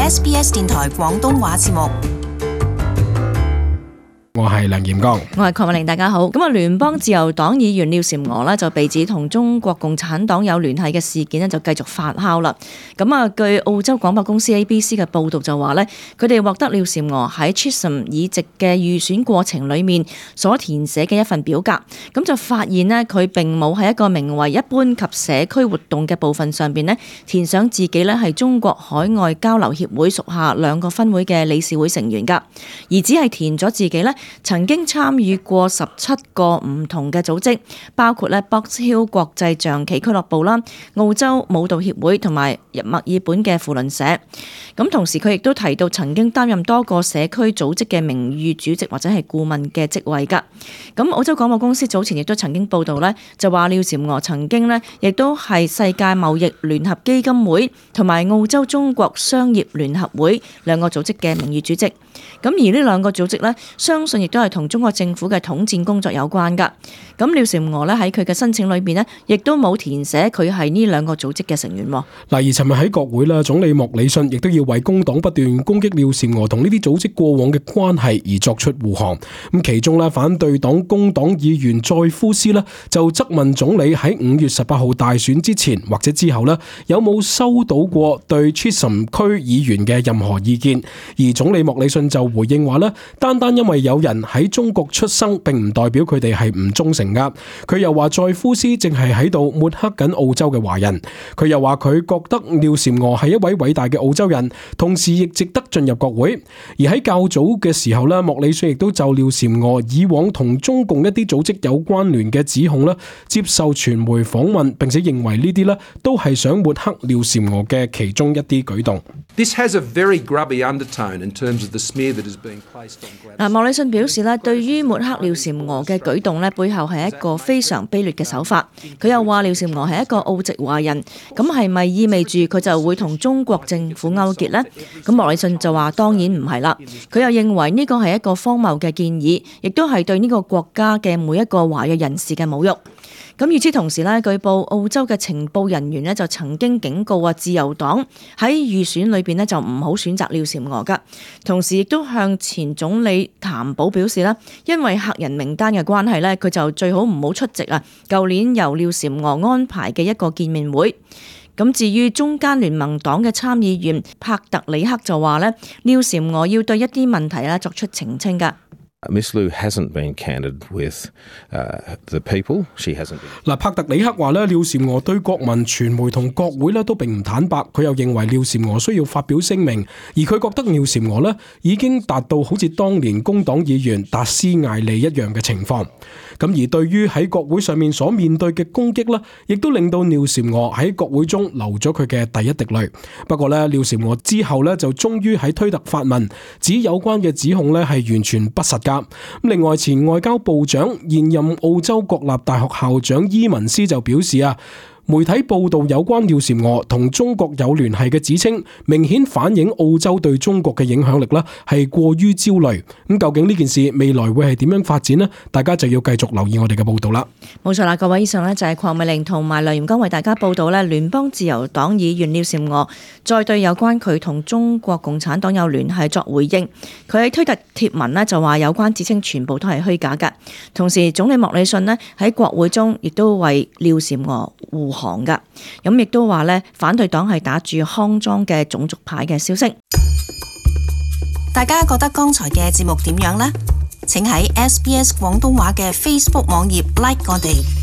SBS 電台廣東話節目。我係梁炎剛，我係鄺美玲，大家好。咁聯邦自由黨議員廖嬋娥呢就被指同中國共產黨有聯繫嘅事件呢就繼續發酵啦。咁據澳洲廣播公司 ABC 嘅報導就話呢，佢哋獲得廖嬋娥喺 Chisholm 議席嘅預選過程裡面所填寫嘅一份表格，咁就發現呢，佢並冇喺一個名為一般及社區活動嘅部分上邊呢填上自己呢係中國海外交流協會屬下2個分會嘅理事會成員㗎，而只係填咗自己呢曾經參與過17個唔同嘅組織，包括咧 Box Hill 國際象棋俱樂部啦、澳洲舞蹈協會同埋墨爾本嘅扶輪社。咁同時佢亦都提到曾經擔任多個社區組織嘅名譽主席或者係顧問嘅職位㗎。咁澳洲廣播公司早前亦都曾經報導呢，就話廖嬋娥曾經呢亦都係世界貿易聯合基金會同埋澳洲中國商業聯合會2個組織嘅名譽主席。咁而呢2個組織呢，相信亦都係同中國政府嘅統戰工作有關㗎。咁廖嬋娥呢喺佢嘅申請裏邊呢，亦都冇填寫佢係呢2個組織嘅成員。嗱，而尋日喺國會啦，總理莫里遜亦都要為工黨不斷攻擊廖嬋娥同呢啲組織過往嘅關係而作出護航。咁其中呢，反對黨工黨議員載夫斯呢就質問總理喺5月18號大選之前或者之後呢，有冇收到過對 Chisholm 區議員嘅任何意見？而總理莫里遜就回應話呢，單因為有人喺中國出生並唔代表佢哋係唔忠誠噶。佢又話載夫斯正係喺度抹黑緊澳洲嘅華人。佢又話佢覺得廖嬋娥係一位偉大嘅澳洲人，同時亦值得進入國會。而喺較早嘅時候呢，莫里遜亦都就廖嬋娥以往同中共一啲組織有關聯嘅指控呢接受傳媒訪問，並且認為呢啲呢都係想抹黑廖嬋娥嘅其中一啲舉動。This has a very grubby undertone in terms of the smear that is being placed on Gladys. 莫里遜表示咧，對於抹黑廖嬋娥嘅舉動咧，背後係一個非常卑劣嘅手法。佢又話廖嬋娥係一個澳籍華人，咁係咪意味住佢就會同中國政府勾結呢？咁莫里遜就話當然唔係啦。佢又認為呢個係一個荒謬嘅建議，亦都係對呢個國家嘅每一個華裔人士嘅侮辱。咁與此同時咧，據報澳洲嘅情報人員咧就曾經警告自由黨喺預選裏邊咧就唔好選擇廖嬋娥噶。同時亦都向前總理譚寶表示啦，因為客人名單嘅關係咧，佢就最好唔好出席舊年由廖嬋娥安排嘅一個見面會。咁至於中間聯盟黨嘅參議員帕特里克就話咧，廖嬋娥要對一啲問題作出澄清噶。Miss Liu hasn't been candid with the people. She hasn't been. 帕特里克話咧，廖嬋娥對國民、傳媒同國會咧都並唔坦白。佢又認為廖嬋娥需要發表聲明，而佢覺得廖嬋娥咧已經達到好似當年工黨議員達斯艾利一樣嘅情況。咁而對於喺國會上面所面對嘅攻擊咧，亦都令到廖嬋娥喺國會中流咗佢嘅第一滴淚。不過咧，廖嬋娥之後咧就終於喺推特發文，指有關嘅指控咧係完全不實㗎。另外，前外交部長、現任澳洲國立大學校長伊文斯就表示媒體報道有關廖嬋娥同中國有聯繫嘅指稱，明顯反映澳洲對中國嘅影響力係過於焦慮。咁究竟呢件事未來會係點樣發展呢？大家就要繼續留意我哋嘅報道啦。冇錯啦，各位，以上就係鄺美玲同埋梁炎剛為大家報道聯邦自由黨議員廖嬋娥再對有關佢同中國共產黨有聯繫作回應。佢喺推特貼文就話有關指稱全部都係虛假㗎。同時，總理莫里遜喺國會中亦都為廖嬋娥護航㗎。咁亦都話反對黨係打住康莊嘅種族牌嘅消息。大家覺得剛才嘅節目點樣呢？請喺SBS 廣東話嘅 Facebook 網頁 like 我哋。